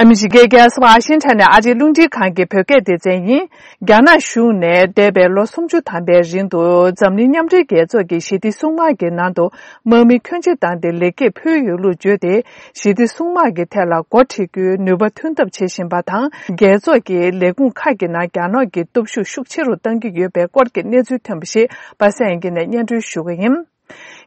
ཨ་མི་རི་ཀའི་རྒྱལ་ས་ཝཱ་ཤིང་ཊོན་ནས་ཨ་རིའི་རླུང་འཕྲིན་ཁང་གི་བོད་སྐད་སྡེ་ཚན་ཡིན། རྒྱ་ནག་གཞུང་ནས་འདས་པའི་ལོ 30 ཐམ་པའི་རིང་དུ་འཛམ་གླིང་མཉམ་འབྲེལ་རྒྱལ་ཚོགས་ཀྱི་ཞི་བདེ་སྲུང་དམག་གི་ནང་དུ་དམག་མི་ཁྱོན་ཆེ་བཏང་སྟེ་ལེགས་སྐྱེས་ཕུལ་ཡོད་ལུགས་བརྗོད་དེ། ཞི་བདེ་སྲུང་དམག་གི་ཐད་ལ་འགོ་ཁྲིད་རྒྱུའི་ནུས་པ་ཐོན་ཐབས་བྱེད་བཞིན་པ་དང་རྒྱལ་ཚོགས་ཀྱི་ལས་ཁུངས་ཁག་གི་ནང་རྒྱ་ནག་གི་སྟོབས་ཤུགས་ཤུགས་ཆེ་རུ་གཏང་གི་ཡོད་པའི་སྐོར་གྱི་གནས་ཚུལ་ཐོན་པ་ཞིག་པ་སངས་སྐྱིད་ནས་སྙན་སྒྲོན་ཞུ་གི་ཡིན།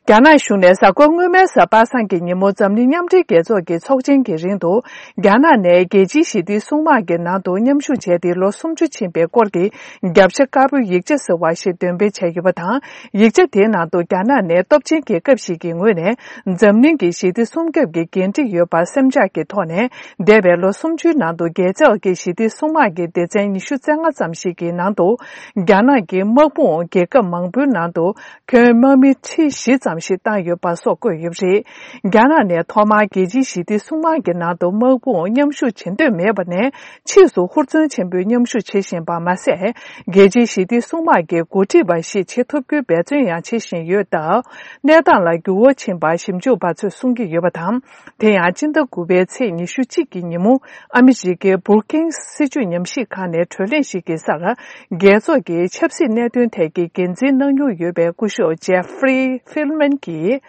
རྒྱ་ནག་གཞུང་ནས་གཟའ་འཁོར་སྔོན་མའི་གཟའ་པ་སངས་ཀྱི་ཉིན་མོ་འཛམ་གླིང་མཉམ་འབྲེལ་རྒྱལ་ཚོགས་ཀྱི་ཚོགས་ཆེན་གྱི་རིང་དུ་རྒྱ་ནག་ནས་རྒྱལ་སྤྱིའི་ཞི་བདེའི་སྲུང་དམག་གི་ནང་དུ་མཉམ་ཞུགས་བྱས་ཏེ་ལོ 30 ཕྱིན་པའི་སྐོར་གྱི་རྒྱབ་ཤ་དཀར་པོའི་ཡིག་ཆ་ཟེར་བ་ཞིག་འདོན་སྤེལ་བྱས་ཡོད་པ་དང། ཡིག་ཆ་དེའི་ནང་དུ་རྒྱ་ནག་ནས་སྟོབས་ཆེན་རྒྱལ་ཁབ་ཞིག་གི་ངོས་ནས་འཛམ་གླིང་གི་ཞི་བདེ་སྲུང་སྐྱོབ་ཀྱི་འགན་འཁྲི་ཡོད་པར་སེམས་ཆགས་ཀྱི་ཐོག་ནས་འདས་པའི་ལོ 30 ནང་དུ་རྒྱལ་ཚོགས་ཀྱི་ཞི་བདེ་སྲུང་དམག་གི་སྡེ་ཚན་ཉི་ཤུ་རྩ་ལྔ་ཙམ་ཞིག་གི་ནང་དུ་རྒྱ་ནག་གི་དམག་དཔུང་རྒྱལ་ཁབ་མང་པོའི་ནང་དུ་ཁྱོན་དམག་མི 4,000 ཙམ་ཞིག་བཏང་ཡོད་པ་སོགས་བཀོད་ཡོད་པ་རེད། རྒྱ་ནག་ནས་ཐོག་མར་རྒྱལ་སྤྱིའི་ཞི་བདེ་སྲུང་དམག་གི་ནང་དུ་དམག་དཔུང་མཉམ་ཞུགས་བྱེད་འདོད་མེད་པ་ནས་ཕྱིས་སུ་ཧུར་བརྩོན་ཆེན་པོས་མཉམ་ཞུགས་བྱེད་བཞིན་པ་མ་ཟད། རྒྱལ་སྤྱིའི་ཞི་བདེ་སྲུང་དམག་གི་འགོ་ཁྲིད་པ་ཞིག་བྱེད་ཐུབ་རྒྱུའི་འབད་བརྩོན་ཡང་བྱེད་བཞིན་ཡོད་སྟབས། གནས་སྟངས་ལ་འགྱུར་བ་ཕྱིན་པར་ཞིབ་འཇུག་པ་ཚོས་གསུང་གི་ཡོད་པ་དང། དེ་ཡང་སྤྱི་ཟླ་དགུ་པའི་ཚེས 21 གི་ཉིན་མོ་ཨ་མི་རི་ཀའི Brookings སྲིད་བྱུས་ཉམས་ཞིབ་ཁང་ནས་གྲོས་གླེང་ཞིག་གི་སར། རྒྱལ་ཚོགས་ཀྱི་ཆབ་སྲིད་གནད་དོན་ཐད་ཀྱི་འགན་འཛིན་གནང་མྱོང་ཡོད་པའི་སྐུ་ཞབས Jeffrey Feltman གྱིས།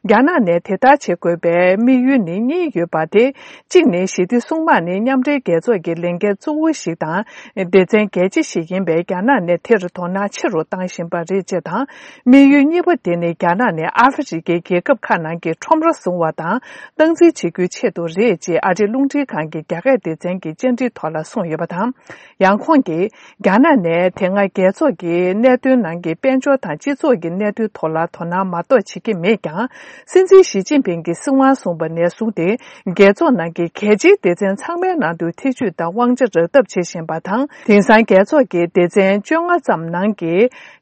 རྒྱ་ནག་ནས་དེ་ལྟར་བྱེད་དགོས་པའི་དམིགས་ཡུལ་ནི་གཉིས་ཡོད་པ་སྟེ། གཅིག་ནི་ཞི་བདེ་སྲུང་དམག་ནི་མཉམ་འབྲེལ་རྒྱལ་ཚོགས་ཀྱི་ལས་འགན་གཙོ་བོ་ཞིག་དང་སྡེ་ཚན་གལ་ཆེ་ཞིག་ཡིན་པས་རྒྱ་ནག་ནས་དེར་དོ་སྣང་ཆེ་རུ་བཏང་བཞིན་པ་རེད་ཅེས་དང། དམིགས་ཡུལ་གཉིས་པ་དེ་ནི་རྒྱ་ནག་ནས་ཨ་ཧྥེ་རི་ཁའི་རྒྱལ་ཁབ་ཁག་ནང་གི་ཁྲོམ་ར་བཟུང་བ་དང་སྟངས་འཛིན་བྱེད་རྒྱུའི་ཆེད་དུ་རེད་ཅེས་ཨ་རིའི་རླུང་འཕྲིན་ཁང་གི་རྒྱ་སྐད་སྡེ་ཚན་གྱི་བཅར་འདྲི་ཐོག་ལ་གསུངས་ཡོད་པ་དང། ཡང་ཁོང་གིས་རྒྱ་ནག་ནས་དེ་སྔ་རྒྱལ་ཚོགས་ཀྱི་གནད་དོན་ནང་གི་དཔལ་འབྱོར་དང་སྤྱི་ཚོགས་ཀྱི་གནད་དོན་ཐོག་ལ་དོ་སྣང་མ་གཏོགས་བྱེད་ཀྱི་མེད་ཀྱང། སྲིད་འཛིན་ཞི་ཅིན་ཕིང་གིས་སྲིད་དབང་བཟུང་བ་ནས་བཟུང་སྟེ་རྒྱལ་ཚོགས་ནང་གི་གལ་ཆེའི་སྡེ་ཚན་ཚང་མའི་ནང་དུ་ཐེ་བྱུས་དང་དབང་ཆ་རག་ཐབས་བྱེད་བཞིན་པ་དང་དེང་སང་རྒྱལ་ཚོགས་ཀྱི་སྡེ་ཚན 15 ཙམ་ནང་གི་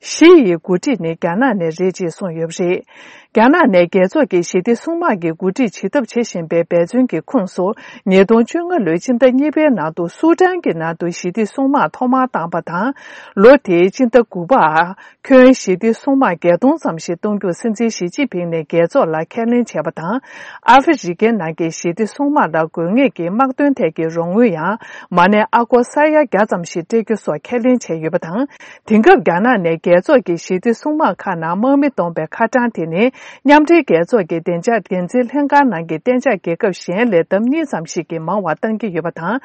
བཞི་ཡི་འགོ་ཁྲིད་ནི་རྒྱ་ནག་ནས་རེད་ཅེས་གསུངས་ཡོད་པ་རེད། རྒྱ་ནག་ནས་རྒྱལ་ཚོགས་ཀྱི་ཞི་བདེ་སྲུང་དམག་གི་འགོ་ཁྲིད་བྱེད་ཐབས་བྱེད་བཞིན་པའི་འབད་བརྩོན་གྱི་ཁོངས་སུ 2015 ལོའི་སྤྱི་ཟླ་གཉིས་པའི་ནང་དུ་སུའུ་ཏན་གྱི་ནང་དུ་ཞི་བདེ་སྲུང་དམག་ཐོག་མར་བཏང་བ་དང། ལོ་དེའི་སྤྱི་ཟླ་དགུ་པར་ཁྱོན་ཞི་བདེ་སྲུང་དམག 8000 ཙམ་ཞིག་གཏོང་རྒྱུར་སྲིད་འཛིན་ཞི་ཅིན་ཕིང་ནས་རྒྱལ་ཚོགས་ལ་ཁས་ལེན་བྱས་པ་དང། ཨ་ཧྥེ་རི་ཁའི་ནང་གི་ཞི་བདེ་སྲུང་དམག་ལ་དགོས་ངེས་ཀྱི་དམག་དོན་ཐད་ཀྱི་རོགས་དངུལ་ཡང་མ་གནས་ཨ་སྒོར་ས་ཡ 100 ཙམ་ཞིག་སྤྲད་རྒྱུ་སོགས་ཁས་ལེན་བྱས་ཡོད་པ་དང། དེང་སྐབས་རྒྱ་ནག་ནས་རྒྱལ་ཚོགས་ཀྱི་ཞི་བདེ་སྲུང་དམག་ཁག་ནང་དམག་མི་གཏོང་བའི་ཁ་གྲངས་དེ་ནི་མཉམ་འབྲེལ་རྒྱལ་ཚོགས་ཀྱི་བདེ་འཇགས་འགན་འཛིན་ལྷན་ཁང་ནང་གི་གཏན་འཇགས་རྒྱལ་ཁབ་གཞན་ལས་ལྡབ་གཉིས་ཙམ་ཞིག་གིས་མང་བ་བཏང་གི་ཡོད་པ་དང།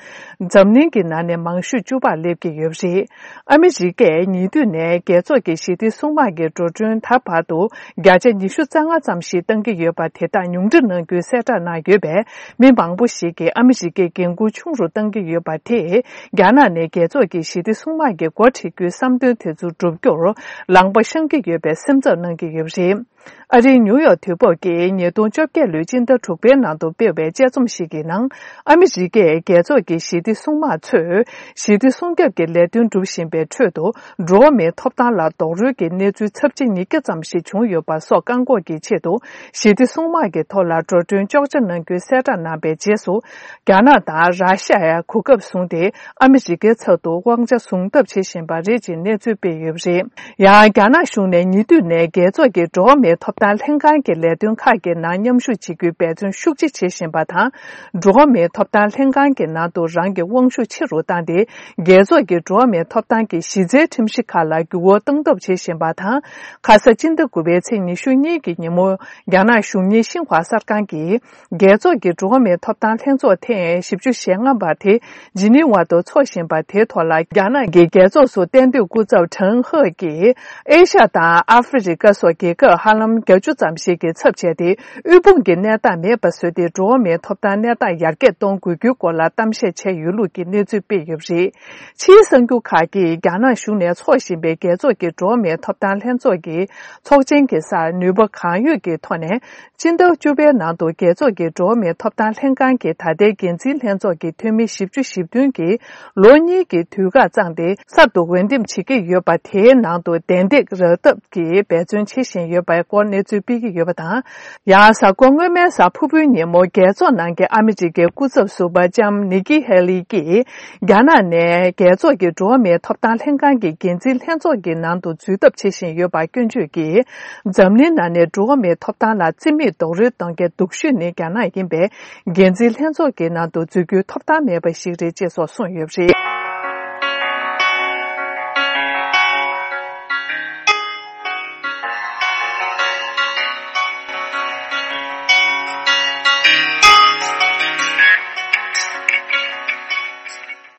འཛམ་གླིང་གི་ནང་ནས་མང་ཤོས་བཅུ་པར་སླེབས་ཀྱི་ཡོད་པ་རེད། ཨ་མི་རི་ཀས་ཉེ་དུས་ནས་རྒྱལ་ཚོགས་ཀྱི་ཞི་བདེ་སྲུང་དམག་གི་འགྲོ་གྲོན་ད་བར་དུ 20% རྩ་ལྔ་ཙམ་ཞིག་བཏང་གི་ཡོད་པ་དེ་དག་ཉུང་འཕྲི་གནང་རྒྱུའི་གསལ་བསྒྲགས་གནང་ཡོད་པས་མི་མང་པོ་ཞིག་གིས་ཨ་མི་རི་ཀས་འགན་འཁུར་ཆུང་རུ་བཏང་གི་ཡོད་པ་དེས་རྒྱ་ནག་ནས་རྒྱལ་ཚོགས་ཀྱི་ཞི་བདེ་སྲུང་དམག་གི་འགོ་ཁྲིད་རྒྱུའི་བསམ་དོན་དེ་ཚོ་བསྒྲུབ་རྒྱུར་ལངས་པ་བཤང་གི་ཡོད་པའི་སེམས་འཚབ་གནང་གི་ཡོད་པ་རེད། ཨ་རིའི་ཉུ་ཡོག་དུས་བབ་ཀྱིས 2018 ལོའི་སྤྱི་ཟླ་དྲུག་པའི་ནང་དུ་སྤེལ་བའི་དཔྱད་རྩོམ་ཞིག་གི་ནང་ཨ་མི་རི་ཀས་རྒྱལ་ཚོགས་ཀྱི་ཞི་བདེ་སྲུང་དམག་ཚོས་ཞི་བདེ་སྲུང་སྐྱོབ་ཀྱི་ལས་དོན་སྒྲུབ་བཞིན་པའི་ཁྲོད་དུ་འགྲོ་བ་མིའི་ཐོབ་ཐང་ལ་རྡོག་རོལ་གྱི་གནས་ཚུལ་ཚབས་ཆེ 200 ཙམ་ཞིག་བྱུང་ཡོད་པ་སོགས་བཀག་འགོག་གི་ཆེད་དུ་ཞི་བདེ་སྲུང་དམག་གི་ཐོག་ལ་འགྲོ་གྲོན་གཅོག་ཆ་གནང་རྒྱུའི་གསལ་བསྒྲགས་གནང་བའི་རྗེས་སུ། རྒྱ་ནག་དང་ར་ཤི་ཡས་གོ་སྐབས་བཟུང་སྟེ་ཨ་མི་རི་ཀའི་ཚབ་ཏུ་དབང་ཆ་བཟུང་ཐབས་བྱེད་བཞིན་པ་རེད་ཅེས་གནས་ཚུལ་སྤེལ་ཡོད་པ་རེད། ཡང་རྒྱ་ནག་གཞུང་ནས་ཉེ་དུས་ནས་རྒྱལ་ཚོགས་ཀྱི་འགྲོ་བ་མིའི་ཐོབ་ཐང་ལྷན་ཁང་གི་ལས་དོན་ཁག་གི་ནང་མཉམ་ཞུགས་བྱེད་རྒྱུའི་འབད་བརྩོན་ཤུགས་ཆེ་བྱེད་བཞིན་པ་དང། འགྲོ་བ་མིའི་ཐོབ་ཐང་ལྷན་ཁང་གི་ནང་དུ་རང་གི་དབང་ཤུགས་ཆེ་རུ་བཏང་སྟེ་རྒྱལ་ཚོགས་ཀྱི་འགྲོ་བ་མིའི་ཐོབ་ཐང་གི་གཞི་རྩའི་ཁྲིམས་གཞི་ཁག་ལ་འགྱུར་བ་གཏོང་ཐབས་བྱེད་བཞིན་པ་དང། ཁ་ས་སྤྱི་ཟླ་དགུ་པའི་ཚེས 22 ཀྱི་ཉིན་མོ་རྒྱ་ནག་གཞུང་གཉེར་ཤིན་ཧྭ་གསར་ཁང་གིས་རྒྱལ་ཚོགས་ཀྱི་འགྲོ་བ་མིའི་ཐོབ་ཐང་ལྷན་ཚོགས་ཐེངས 40 ཞེ་ལྔ་པ་དེ་ཇི་ནི་ཝ་དུ་འཚོགས་བཞིན་པ་དེའི་ཐོག་ལ་རྒྱ་ནག་གི་རྒྱལ་ཚོགས་སུ་གཏན་སྡོད་སྐུ་ཚབ་ཁྲེན་ཧེ་ཀྱིས་ཨེ་ཤ་དང་ཨ་ཧྥེ་རི་ཁ་སོགས་རྒྱལ་ཁབ་ཧ་ལམ 80 ཙམ་ཞིག་གི་ཚབ་བྱས་ཏེ་དབུལ་ཕོངས་ཀྱི་གནས་སྟངས་མེད་པ་བཟོས་ཏེ་འགྲོ་བ་མིའི་ཐོབ་ཐང་གནས་སྟངས་ཡར་རྒྱས་གཏོང་དགོས་རྒྱུའི་སྐོར་ལ་གཏམ་བཤད་བྱས་ཡོད་ལུགས་ཀྱི་གནས་ཚུལ་སྤེལ་ཡོད་པ་རེད། ཕྱིའི་གསར་འགྱུར་ཁག་གིས་རྒྱ་ནག་གཞུང་ནས་འཚོགས་བཞིན་པའི་རྒྱལ་ཚོགས་ཀྱི་འགྲོ་བ་མིའི་ཐོབ་ཐང་ལྷན་ཚོགས་ཀྱི་ཚོགས་ཆེན་གྱི་སར་ནུས་པ་གང་ཡོད་ཀྱི་ཐོག་ནས་སྤྱི་ཟླ་བཅུ་པའི་ནང་དུ་རྒྱལ་ཚོགས་ཀྱི་འགྲོ་བ་མིའི་ཐོབ་ཐང་ལྷན་ཁང་གི་ད་ལྟའི་འགན་འཛིན་ལྷན་ཚོགས་ཀྱི་འཐུས་མི 40 ཞེ་བདུན་གྱིས་ལོ་གཉིས་ཀྱི་དུས་བཀག་གཙང་སྟེ་གསར་དུ་འོས་འདེམས་བྱེད་ཀྱི་ཡོད་པ་དེའི་ནང་དུ་གདན་སྟེགས་རག་ཐབས་ཀྱི་འབད་བརྩོན་བྱེད་བཞིན་ཡོད་པའི་སྐོར། སྐོར་གནས་ཚུལ་སྤེལ་གྱི་ཡོད་པ་དང། ཡང་གཟའ་འཁོར་སྔོན་མའི་གཟའ་ཕུར་བུའི་ཉིན་མོ་རྒྱལ་ཚོགས་ནང་གི་ཨ་མི་རི་ཀའི་སྐུ་ཚབ་ཟུར་པ་ལྕམ་ནི་ཀི་ཧེ་ལི་ཀྱིས་རྒྱ་ནག་ནས་རྒྱལ་ཚོགས་ཀྱི་འགྲོ་བ་མིའི་ཐོབ་ཐང་ལྷན་ཁང་གི་འགན་འཛིན་ལྷན་ཚོགས་ཀྱི་ནང་དུ་འཛུལ་ཐབས་བྱེད་བཞིན་ཡོད་པར་སྐྱོན་བརྗོད་ཀྱིས། འཛམ་གླིང་ནང་ནས་འགྲོ་བ་མིའི་ཐོབ་ཐང་ལ་རྩིས་མེད་རྡོག་རོལ་གཏོང་མཁན་སྡུག་ཤོས་ནི་རྒྱ་ནག་ཡིན་པས་འགན་འཛིན་ལྷན་ཚོགས་ཀྱི་ནང་དུ་འཛུལ་རྒྱུའི་ཐོབ་ཐང་མེད་པ་ཞིག་རེད་ཅེས་སོགས་གསུངས་ཡོད་པ་རེད།